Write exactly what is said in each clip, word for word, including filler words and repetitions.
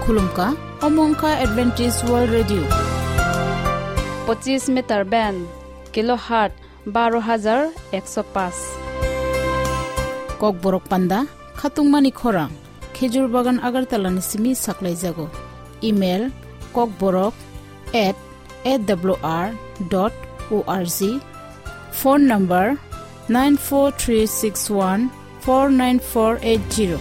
Khulumkha, omo wngkha Adventist World Radio. Pochis meter band, kilohertz baro hajar ekso paanch. Kokborok panda, khatungmani khorang, Khejur Bagan Agartala ni simi saklaijago. Email, kokborok at A W R dot O R G. Phone number, nine four three six one four nine four eight zero.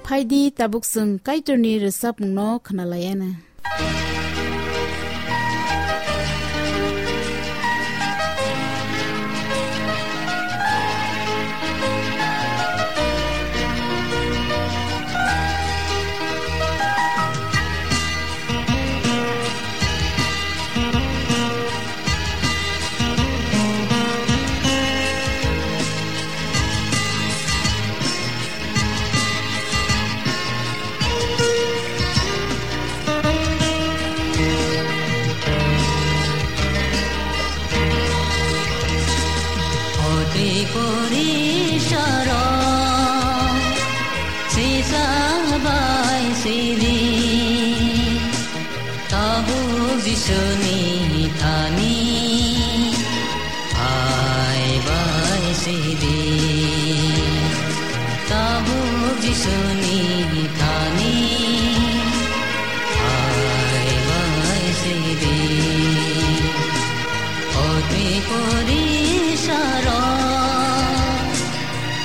Phaidi, tabuk chwng Kaitorni rwchapmungno khwnalaiana. Oti puri saro sisa bai sidi. Tabuk Jisuni thani phai bai sidi. Tabuk Jisuni thani phai bai sidi. Oti puri saro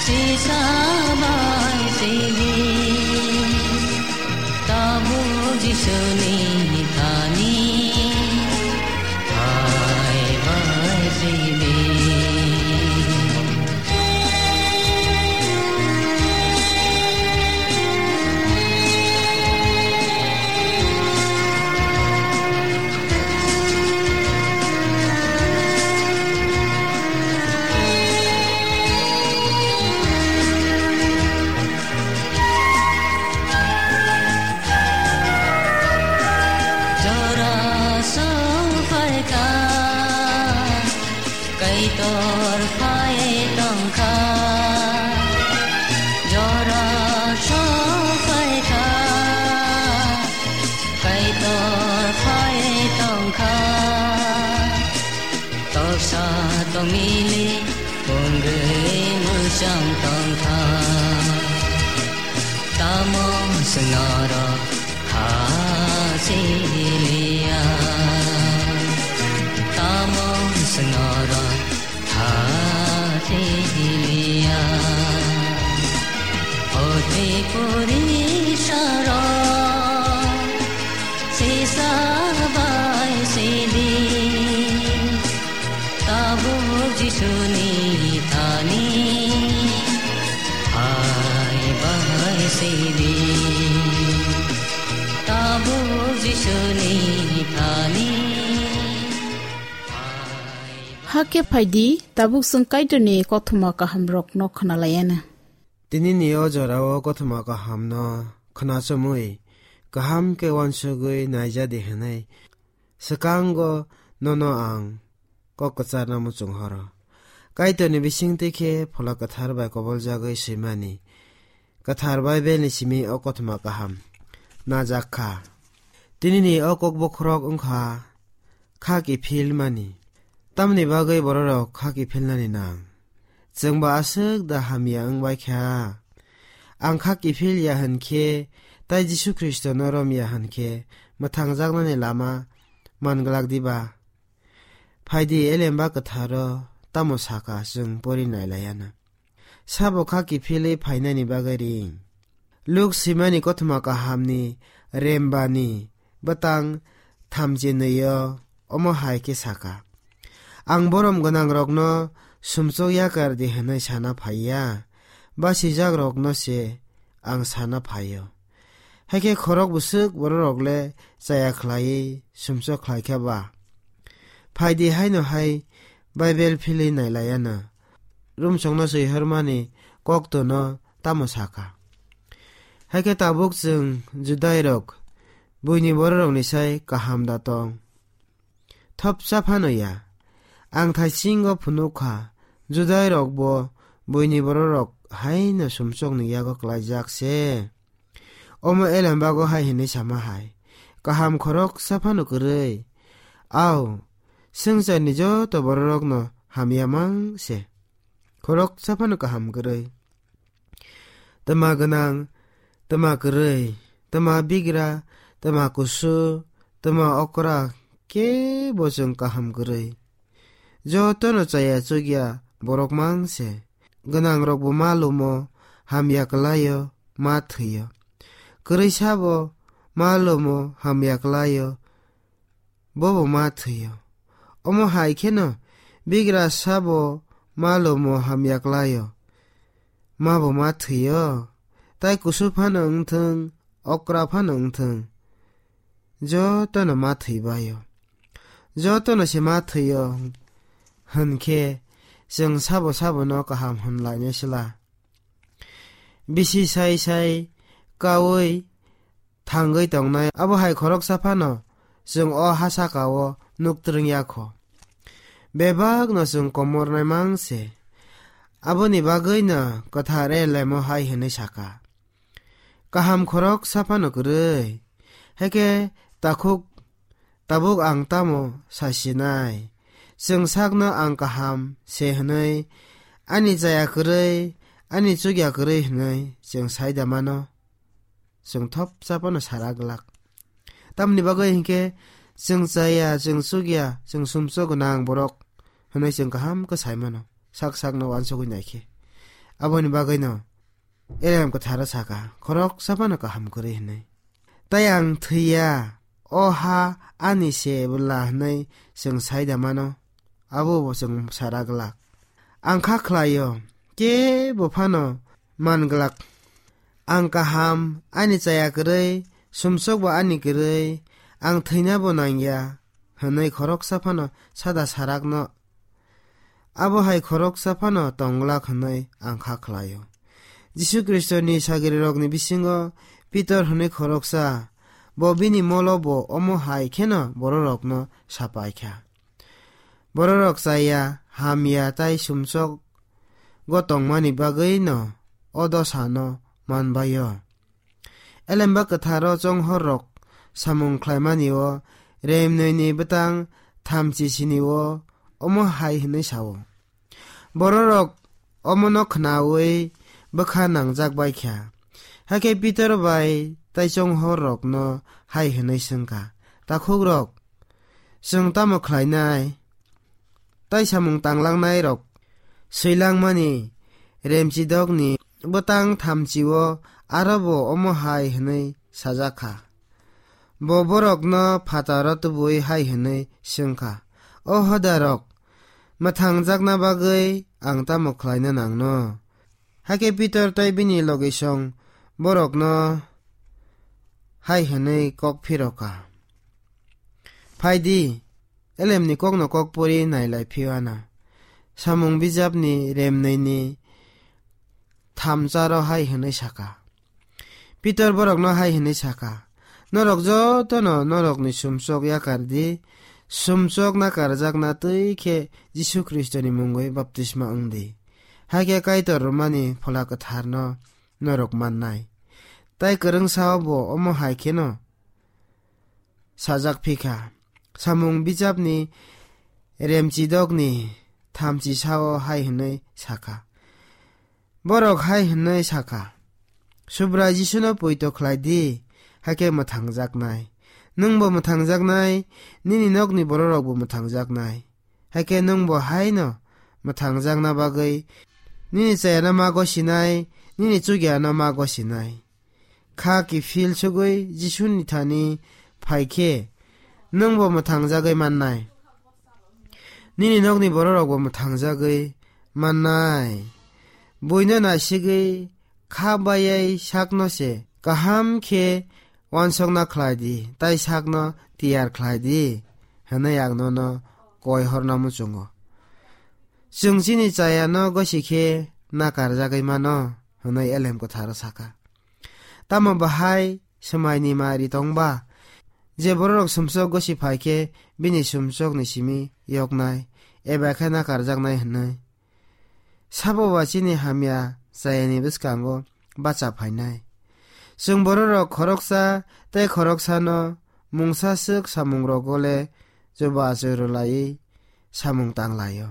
sisa bai sidi. Tabuk Jisuni thani phai bai sidi. Jora song phaikha, Kaitor phai tongkha. Jora song phaikha, Kaitor phai tongkha. Toksa tongmili wngwi mwchang tongkha. Tamo chwng norok kha siliya? Tamo chwng norok kha siliya? Oti puri saro sisa bai sidi. Tabuk Jisuni thani phai bai sidi. Tabuk Jisuni thani phai bai. Hakhe phaidi, tabuk chwng Kaitorni kothoma kahamrokno khwnalaiana. Tinini o jorao kothoma kahamno khwnachomwi, kaham khe uansugwi naijadi hwnwi swkango nono ang kok kwcharno muchung horo. Kaitorni bisingtwi khe Phola Kwthar bai koboljagwi swimani Kwthar Baibelni simi o kothoma kaham najak kha. Tinini o kok bokhorok wngkha kha kiphilmani. Tamni bagwi bororok kha kiphilnani nang? Chwng ba aswk da hamya wng bai kha? Ang kha kiphil ya hwn khe, tei Jisu Khristono rom ya hwn khe, mwthangjaknani lama man glak diba? Phaidi, Elemba Kwtharo tamo saka, chwng pori nai lai ya na. Sabo kha kiphilwi phainani bagwi ring? Luk swimani kothoma kahamni rembani bwtang thamchinwi-o omo hai khe saka: Ang borom gwnangrokno sumsok yakar di hwnwi sana phai ya, basijakrokno se ang sana phai-o. Hakhe khorok bwswk bororok le chaya khlaiwi sumsok khlai kha ba? Phaidi, haino hai Baibel philwi nai lai ya na. Rumsokno swi hormani koktono tamo saka? Hai khe tabuk chwng Judairok buini bororokni sai kaham da tong? Thopsa phano ya. Ang thaisingo phunuk kha, Judairokbo buini bororok haino sumsokni yago klaijak se. Omo Elambago hai hwnwi sama hai, kaham khoroksa phano kwrwi. Au, swngcharni joto bororokno hamya mang se. Khoroksa phano kaham kwrwi. Twma gwnang, twma kwrwi, twma bigra, twma kusu, twma okra, kebo chwng kaham kwrwi. Jotono chaya chukya borok mang se. Gwnangrokbo ma lumo, hamya kwlaio, ma thwio. Kwrwi sabo ma lumo, hamya kwlaio, bobo ma thwio. Omo hai kheno bigra sabo ma lumo, hamya kwlaio, mabo ma thwio. Tai kusu phano wngthwng, okra phano wngthwng, jotono ma thwibaio. Jotono se ma thwio hwn khe, chwng sabo sabono kaham hwn lainai sla? Bisi sai sai kaui thangwi tongnai, abo hai khoroksa phano chwng o ha saka-o nuk twrwng ya kho. Bebakno chwng komornai mang se. Aboni bagwino kwthar Elemo hai hwnwi saka, kaham khoroksa phano kwrwi. Hai khe takhuk tabuk ang tamo sa sinai? Chwng sakno ang kaham se hwnwi, ani chaya kwrwi, ani chukya kwrwi hwnwi chwng sai da mano? Chwng thopsa phano sara glak. Tamni bagwi hinkhe chwng chaya, chwng chukya, chwng sumsok gwnang borok hwnwi chwng kaham khe sai mano, sak sakno uansugwi nai khe. Aboni bagwino Elem kwtharo saka, khoroksa phano kaham kwrwi hwnwi. Tai ang thwiya, o ha ani se bwla hwnwi chwng sai da mano? Abo bo chwng sara glak. Ang kha khlaio, kebo phano man glak. Ang kaham, ani chaya kwrwi, sumsok bo ani kwrwi, ang thwina bo nangya, hwnwi khoroksa phano sada sarakno, abo hai khoroksa phano tong glak hwnwi ang kha khlaio. Jisu Khristoni sagrirokni bisingo Pitor hwnwi khoroksa, bo bini molo bo omo hai kheno bororokno sapai kha. Bororok chaya, hamya tai sumsok go tongmani bagwino o dosano manbaio. Elemba kwtharo chonghorrok samung khlaimani-o remnwini bwtang thamchi sini-o omo hai hwnwi sao. Bororok omono khnaui bwkha nangjak bai kha. Hakhe Pitor bai tai chonghorrokno hai hwnwi swngkha, "Takhukrok, chwng tamo khlainai?" Tai samung tanglangnai rok swilangmani remchidokni bwtang thamchio aro bo omo hai hwnwi sajak kha. Bo borokno phataro tubui hai hwnwi swng kha, "O hodarok, mwthangjakna bagwi ang tamo khlaina nangno?" Hakhe Pitor tei bini logisong borokno hai hwnwi kok phiro kha, "Phai di, elemni kokno kok pori nailai phiyana." Samung bijapni remnwini thamcharo hai hwnwi saka. Pitor borokno hai hwnwi saka, "Norok jotono norokni sumsok yakar di, sumsok nakarjakna twi khe Jisu Khristoni mungwi baptisma wng di. Hakhe Kaitor rwmani Phola Kwtharno norok mannai." Tai kwrwngsao bo omo hai kheno sajak phi kha. Samung bijapni remchidokni thamchi sao hai hwnwi sakha, borok hai hwnwi sakha, "Subrai Jisuno poito khlai di, hakhe mwthangjaknai. Nwngbo mwthangjaknai, nini nokni bororokbo mwthangjaknai. Hakhe nwngbo haino mwthangjakna bagwi nini chayano ma gosinai, nini chukyano ma gosinai." Kha kiphil sugwi Jisuni thani phai khe, "Nwngbo mwthangjagwi mannai, nini nokni bororokbo mwthangjagwi mannai. Buino naisigwi kha bayai sakno se kaham khe uansukna khlai di, tai sakno tiyar khlai di," hwnwi ang nono koi horna muchungo. "Chwng chini chayano gosi khe nakarjagwi mano," hwnwi Elem Kwtharo sakha. Tamo bahai swmaini mari tongba? Je bororok sumsok gosi phai khe bini sumsokni simi yoknai, eba khe nakarjaknai hwnwi. Sabo ba chini hamya chayani bwskango bacha phainai. Chwng bororok khoroksa tei khoroksano mungsa swk samungrogo le chubachu rwlaiwi samung tanglaio.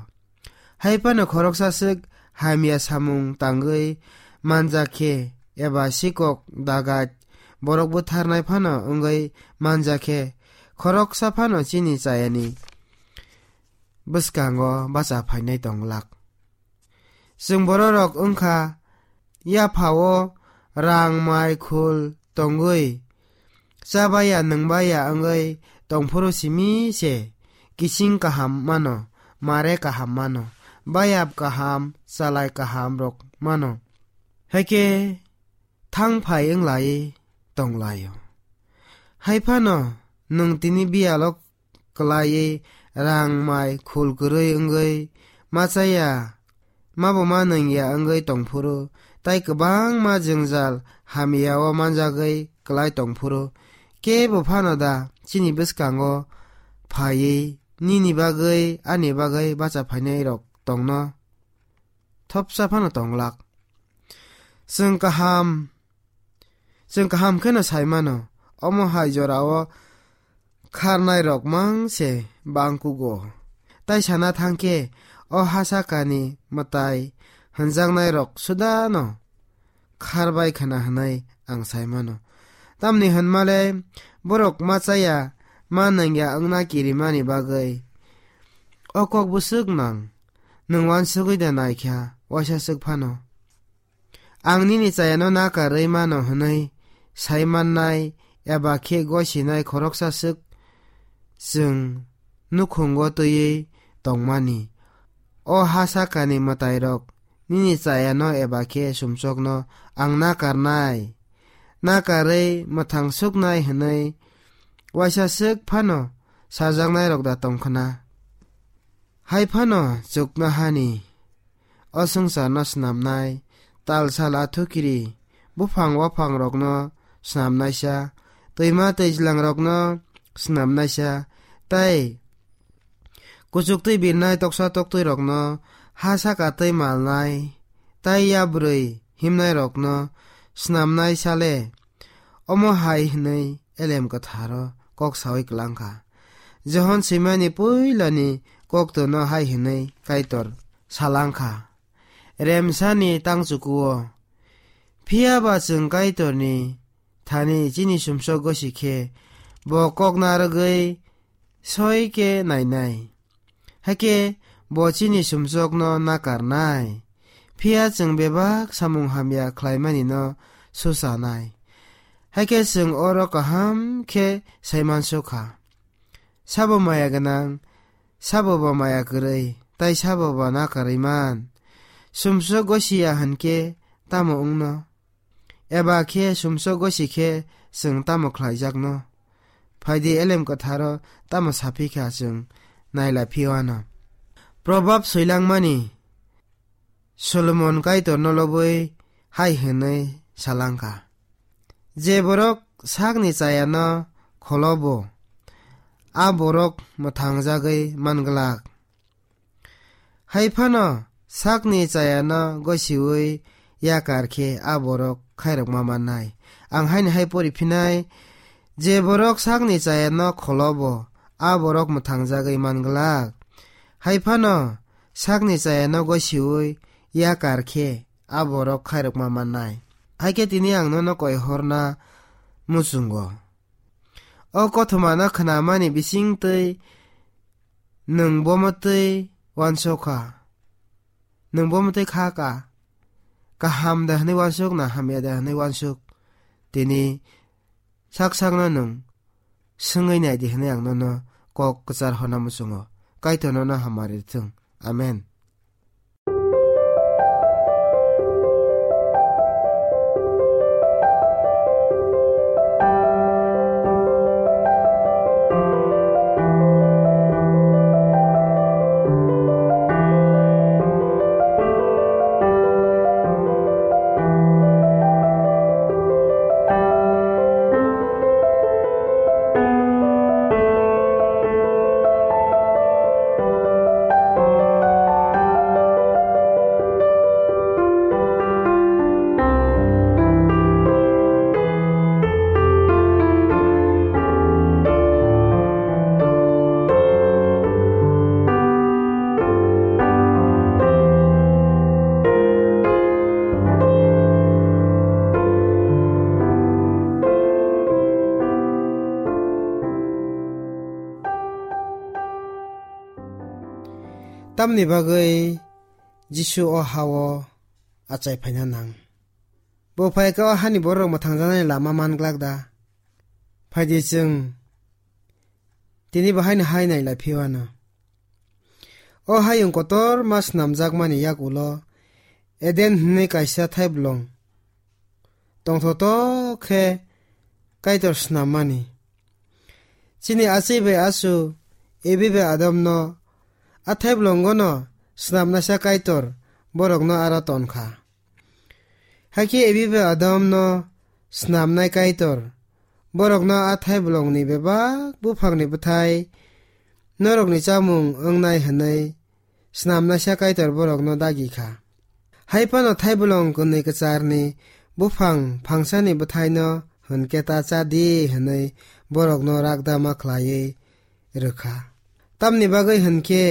Hai phano khoroksa swk hamya samung tangwi manjak khe eba sikok dagat borok butharnai phano wngwi manjak khe khoroksa phano chini chayani bwskango bacha phainai tong glak. Chwng bororok wngkha yaphao rang mai khul tongwi chabaya nwngbaya wngwi tongphuru simi se kising kaham mano, mare kaham mano, bayap kaham, chalai kaham rok mano. Haikhe thang phai wng lai tong laio. Hai phano nwng tini biyalo kwlaiwi rang mai khul kwrwi wngwi machaya mabo ma nangya wngwi tongphuru, tai kwbangma jwngjal hamyao manjagwi kwlai tongphuru, kebo phano da chini bwskango phaiwi nini bagwi ani bagwi bacha phainai rok tongno? Thopsa phano tong glak. Chwng kaham, chwng kaham kheno sai mano, omo hai jorao kharnai rok mang se bang kugo. Tai sana thang khe, o ha sakani mwtai hwnjaknai rok suda no kharbai khna hwnwi ang sai mano. Tamni hwnmale borok machaya ma nangya wngna kirimani bagwi. O kok bwswk nang, nwng uansugwi da naikha, waisa swk phano. Ang nini chayano nakarwi mano hwnwi sai mannai eba khe gosinai khoroksa swk chwng nukhungo twiwi tongmani. O ha sakani mwtairok nini chayano eba khe sumsokno ang nakarnai, nakarwi mwthang suknai hwnwi waisa swk phano sajaknairok da tong khna? Hai phano chuknohani o swngcharno snamnai, tal sal athukiri, buphang waphangrokno snamnaisa, twima twijlangrokno snamnaisa, tai kuchuk twi birnai toksa toktwirokno ha saka twi malnai, tai yabrwi himnairokno snamnaisa le. Omo hai hwnwi Elem Kwtharo kok saui klang kha. Johon swimani puilani koktorno hai hwnwi Kaitor salang kha, Remsani tangchukuo. Phiya ba chwng Kaitorni thani chini sumsok gosi khe bo kok narwgwi soi khe nainai. Hakhe bo chini sumsokno nakarnai. Phiya chwng bebak samung hamya khlaimanino suchanai. Hakhe chwng oro kaham khe saimansukha. Sabo maya gwnang, sabo ba maya kwrwi, tai sabo ba nakarwi man. Sumsok gosiya hwnkhe tamo wngno? Eba khe sumsok gosi khe chwng tamo khlaijakno? Phaidi Elem Kwtharo tamo saphi kha chwng nailai phiyo ano. Probab soilangmani Solomon Kaitorno lobwi hai hwnwi salang kha, Je borok sakni chayano kholobo, a borok mwthangjagwi man glak. Hai phano sakni chayano gosiui yakar khe a borok khairokma mannai. Ang haini hai pori phinai, je borok sakni chayano kholobo, a borok mwthangjagwi man glak. Hai phano sakni chayano gosiui yakar khe a borok khairokma mannai. Hai khe tini ang nono koi horna muchungo. O kothomano khnamani bisingtwi nwng bomo twi uansuk kha. Nwng bomo twi kha ka. Kaham da hwnwi uansuk na hamya da hwnwi uansuk? Tini sak sakno nwng swngwi nai di hwnwi ang nono kok kwchar hona muchungo. Kaitor nono hamari rwthwng. Amen. Tamni bagwi Jisu o ha-o achai phaina nang? Bo phai khe o hani bororok mwthangjaknai lama man glak da? Phai di chwng tini bo haino hai nai lai phi o ano. O hayung kotorma snamjakmani yak ulo Eden hwnwi kaisa thaiblong tongthotok khe Kaitor snammani. Chini achai bai achu Ebi bai Adamno a thaiblongono snamnaisa Kaitor borokno aro ton kha. Hakhe Ebi bai Adamno snamnai Kaitor borokno a thaiblongni bebak buphangni bwthai norokni chamung wngnai hwnwi snamnaisa Kaitor borokno dagi kha. Hai phano thaiblong kwnwi kwcharni buphang phangsani bwthaino hwn khe ta cha di hwnwi borokno rakdama khlaiwi rw kha. Tamni bagwi hwn khe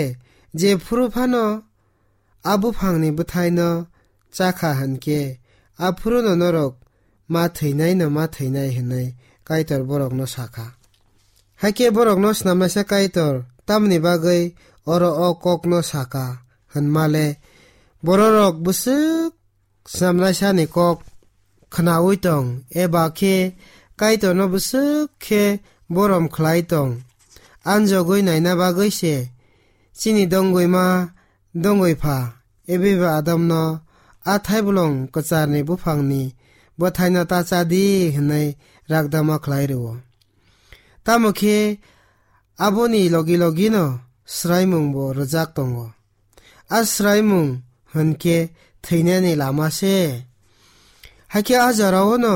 jephuru phano a buphangni bwthaino cha kha hwn khe, aphuruno norok ma thwinaino ma thwinai hwnwi Kaitor borokno sa kha. Hakhe borokno snamnaisa Kaitor tamni bagwi oro o kokno sa kha hwnma le, bororok bwswk snamnaisani kok khnaui tong, eba khe Kaitorno bwswk khe borom khlai tong, anjogwi naina bagwi se chini dongwi ma dongwi pha, Ebi bai Adamno a thaiblong kwcharni buphangni bwthaino ta cha di hwnwi rakdama khlai rwo. Tamo khe aboni logi logino swraimungbo rwjak tongo. A swraimung hwn khe thwinani lama se. Hakhe a jorao'-no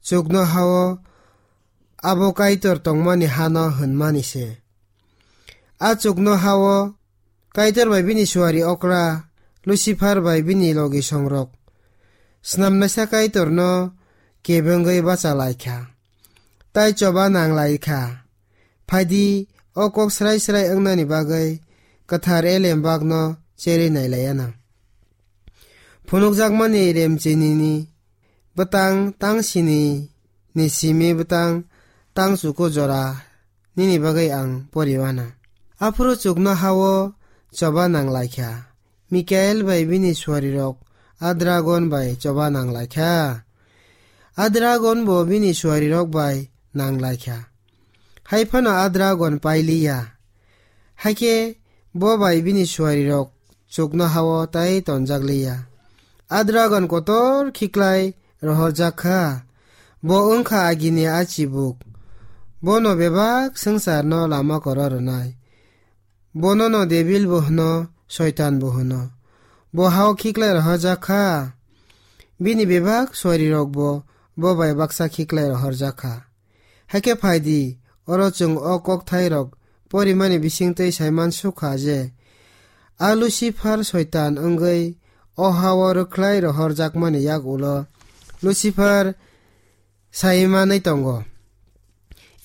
chuknoha-o abo Kaitor tongmani hano hwnmani se. A chuknoha-o Kaitor bai bini suari okra Lucifer bai bini logi songrok snamnaisa Kaitorno kebengwi bacha lai kha, tai choba nang lai kha. Phai di, o kok srai srai wngnani bagwi kwthar elem bakno cherwi nai lai anw. Phunukjakmani remchinini bwtang tang sini ni simi bwtang tang chuku jora nini bagwi ang pori uanw. Aphuru chuknoha-o choba nang lai kha. Mikael bai bini suarirok a dragon bai choba nang lai kha. A dragon bo bini suarirok bai nang lai kha. Hai phano a dragon pai li ya. Hakhe bo bai bini suarirok chuknoha-o tai tonjak li ya. A dragon kotor khiklai rohorjak kha. Bo wng kha agini a chibuk. Bono bebak swngcharno lama koro rwnai. Bonono Debil bo hwno, Soitan bo hwno. Bo ha-o khiklai rohorjak kha. Bini bebak suarirokbo bo bai baksa khiklai rohorjak kha. Hakhe phai di, oro chwng o kokthairok porimani bisingtwi saiman suk kha je, a Lucifer Soitan wngwi o ha-o rwkhlai rohorjakmani yak ulo Lucifer sai manwi tongo.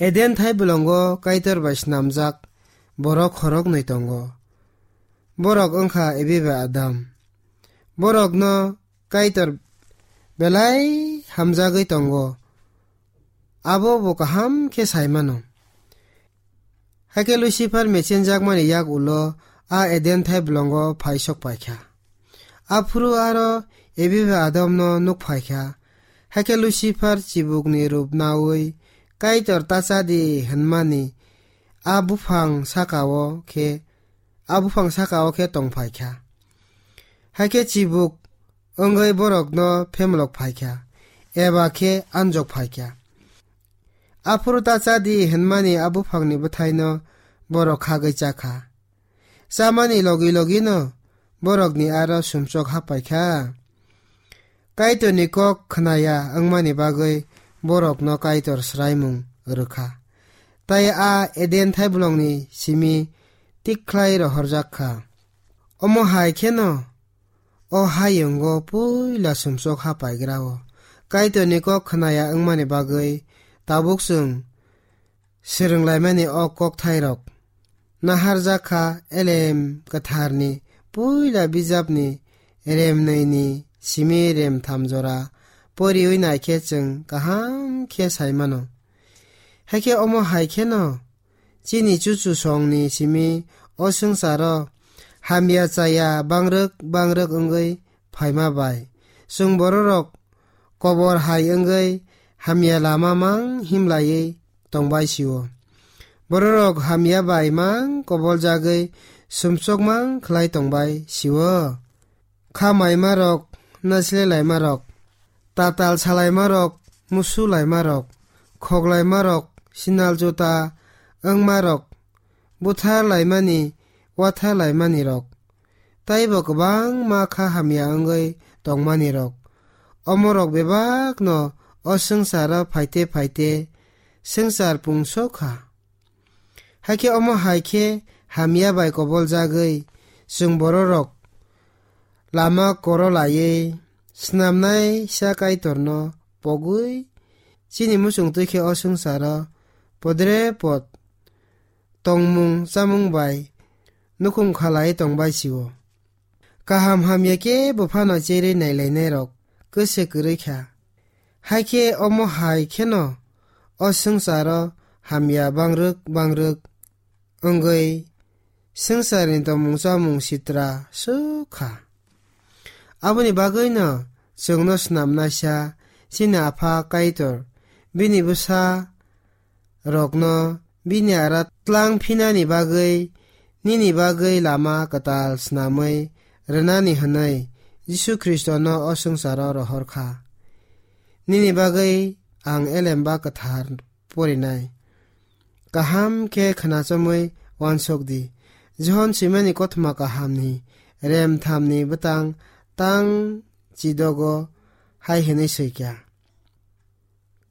Eden thai bolongo Kaitor bai snamjak borok khoroknwi tongo. Borok wngkha Ebi bai Adam. Borokno Kaitor belai hamjagwi tongo, abo bo kaham khe sai mano. Hakhe Lucifer mechenjakmani yak ulo a Eden thai bolongo phai sok pai kha. Aphuru aro Ebi bai Adamno nuk phai kha. Hakhe Lucifer chibukni rup naui Kaitor ta cha di hwnmani a buphang saka-o khe, a buphang saka-o khe tong phai kha. Hakhe chibuk wngwi borokno phemlok phai kha, eba khe anjok phai kha. Aphuru ta cha di hwnmani a buphangni bwthaino borok khagwi cha kha. Chamani logi logino borokni aro sumsok hapai kha. Kaitorni kok khnaya wngmani bagwi borokno Kaitor swraimung rwkha. Tai a Eden thaibolongni simi tikhlai rohorjak kha. Omo hai kheno o hayungo puila sumsok hapaigrao Kaitorni kok khnaya wngmani bagwi tabuk chwng swrwnglaimani o kokthairok naharjak kha. Elem Kwtharni puila bijapni remnwini simi remtham jora poriwi naikhe chwng kaham khe sai mano. Hakhe omo hai kheno chini chuchusongni simi o swngcharo hamya chaya bangrwk bangrwk wngwi phaima bai. Chwng bororok kobor hai wngwi hamya lama mang himlaiwi tongbai sio. Bororok hamya bai mang koboljagwi sumsok mang khlai tongbai sio. Kha maimarok, naisle laimarok, tatal salaimarok, musu laimarok, khoklaimarok, sinal juta wngmarok, buthar laimani, wathar laimanirok, taibo kwbangma kha hamya wngwi tongmanirok, omorok bebakno o swngcharo phaite phaite swngchar pungsok kha. Hakhe omo hai khe hamya bai koboljagwi chwng bororok lama koro laiwi snamnaisa Kaitorno pogwi chini muchungtwi khe o swngcharo podre pod tongmung chamung bai nukhung khalai tongbai sio. Kaham hamya kebo phano cherwi nailainairok kwse kwrwi kha. Hakhe omo hai kheno o swngcharo hamya bangrwk bangrwk wngwi swngcharni tongmung chamung sitra swk kha. Aboni bagwino chwngno snamnaisa chini Apha Kaitor bini bwsa rokno bini ara tlang phinani bagwi, nini bagwi lama kwtal snamwi rwnani hwnwi Jisu Khristono o swngcharo rohor kha. Nini bagwi ang elemba kwthar porinai. Kaham khe khwnachomwi uansuk di. Johon swimani kothoma kahamni rem thamni bwtang tang chidogo hai hwnwi swi kha.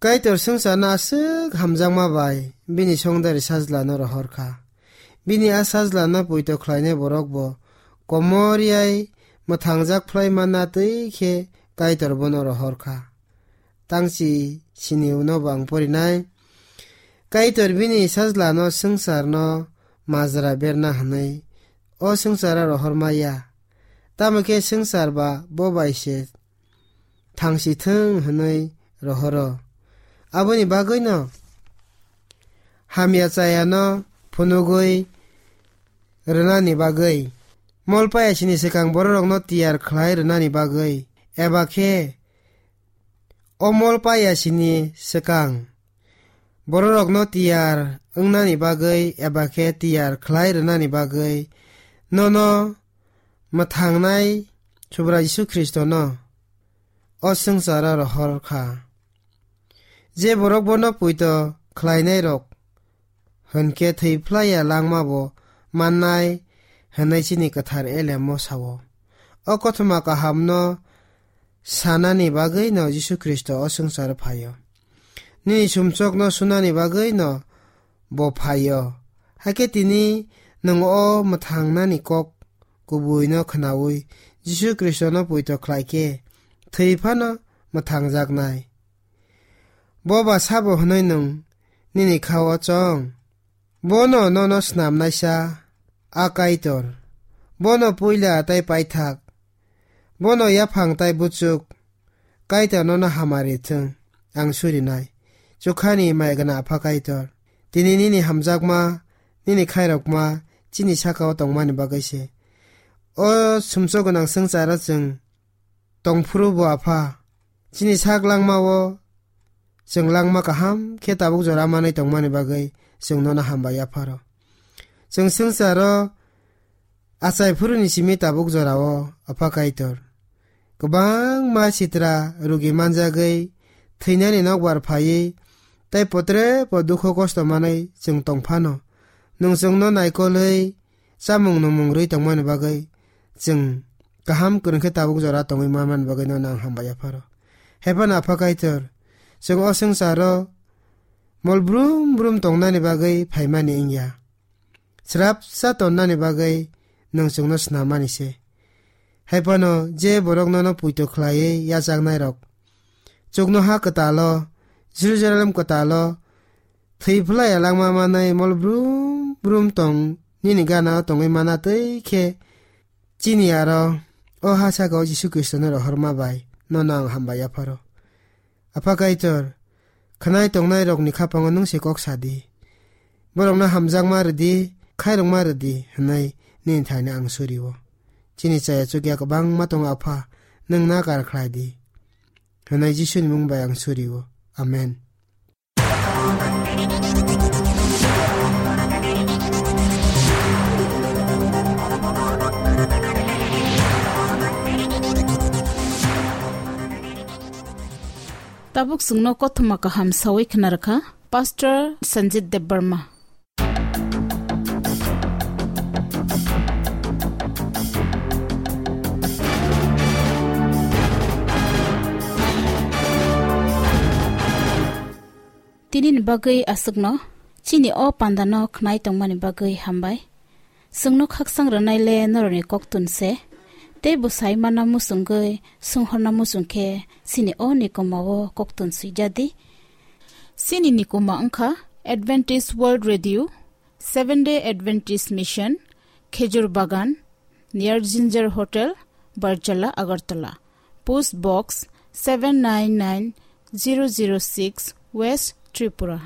Kaitor swngcharno aswk hamjakma bai bini songdari Sajlano rohor kha. Bini a Sajlano poito khlainai borok bo komor yai mwthangjak phlai manna twi khe Kaitor bono rohor kha. Tangchi sini uno bo ang porinai. Kaitor bini Sajlano swngcharno majra berna hwnwi o swngcharo rohor maya. Tamo khe swngchar ba bo bai se thangsi thung hwnwi rohoro. Aboni bagwino hamya chayano phunugwi rwnani bagwi, mol paya sini swkang bororokno tiyar khlai rwnani bagwi, eba khe o mol paya sini swkang bororokno tiyar wngnani bagwi eba khe tiyar khlai rwnani bagwi nono mwthangnai Subrai Jisu Khristono o swngcharo rohor kha. Je borok bono poito khlainairok hwn khe thwi phlaiya langma bo mannai hwnwi chini kwthar elemo sao. O kothoma kahamno sanani bagwino Jisu Khristo o swngcharo phaio. Nini sumsokno sunani bagwino bo phaio. Hakhe tini nwng o mwthangnani kok kubuino khwnaui Jisu Khristono poito khlai khe thwi phano mwthangjaknai. Bo ba sabo hwnwi nwng nini kha-o chong? Bono nono snamnaisa a Kaitor. Bono puila tei paithak. Bono yaphang tei buchuk. Kaitor nono hamari thung. Ang surinai. Chukhani mai gana Apha Kaitor. Tini nini hamjakma, nini khairokma, chini saka-o tongmani bagwi se. O sumsok gwnang swngcharo chwng tongphuru bo Apha, chini sak langma-o chwng langma kaham khe tabuk jora manwi tongmani bagwi chwng nono hambai yapharo. Chwng swngcharo achai phuruni simi tabuk jorao Apha Kaitor kwbangma sitra rugi manjagwi thwinani nokbar phaiwi tei potre po dukho kosto manwi chwng tongphano, nwng chwngno naikolwi chamung nwngmung rwi tongmani bagwi chwng kaham kwrwng khe tabuk jora tongwi manmani bagwi nono ang hambai yapharo. Haiphano Apha Kaitor, chwng o swngcharo mol brum brum tongnani bagwi phaimani wngya. Srapsa tonnani bagwi nwng chwngno snamani se. Haiphano je borok nono puito khlaiwi yachaknairok, chuknoha kwtalo, Jerusalem kwtalo, thwi phlaiya langma manwi mol brum brum tong nini gana-o tongwi mana twi khe chini aro o ha saka-o Jisu Khristono rohorma bai nono ang hambai yapharo. Apha Kaitor, khwnai tongnairokni khapango nwng se kok sa di. Borokno hamjakma rw di, khairokma rw di, hwnwi nini thaino ang suri-o. Chini chaya chukya kwbangma tongo, Apha, nwng nakar khlai di. Hwnwi Jisuni mung bai ang suri-o. Amen. Tabuk chwngno kothoma kaham sawi khna rwkha Pastor Sanjit Debbarma. Tinini bagwi aswkno, chini o pandano khnai tongmani bagwi hambai. Chwngno khaksang rwnai le norokni koktun se, tei bo sai manna muchungwi swnghorna muchung khe chini o nikoma o koktun swijadi. Chini nikoma wngkha Adventist World Radio, Seven Day Adventist Mission, Khejur Bagan, near Ginger Hotel, Barjala, Agartala. Post Box seven nine nine zero zero six, West Tripura.